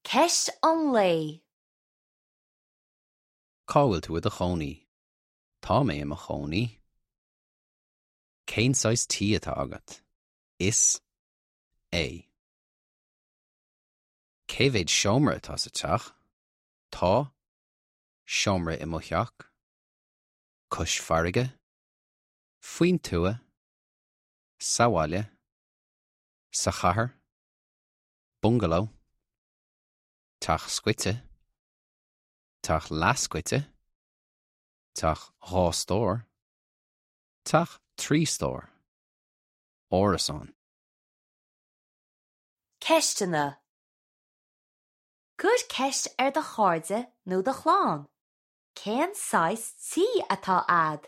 Ceist an lae. Cá bhfuil tú i do chónaí? Tá mé i mo chónaí. Cén saghas tí atá agat? Is é. Cé mhéad seomra atá sa teach? Tá seomra i mo theach. Cois farraige. Faoin tuath. Sa bhaile. Sa chathair. Bungaló. Teach scoite. Teach leathscoite. Teach 2 stór. Teach 3 stór. Árasán. Ceisteanna. Cuir ceist ar do chairde nó do chlann, Cén saghas tí atá a'd?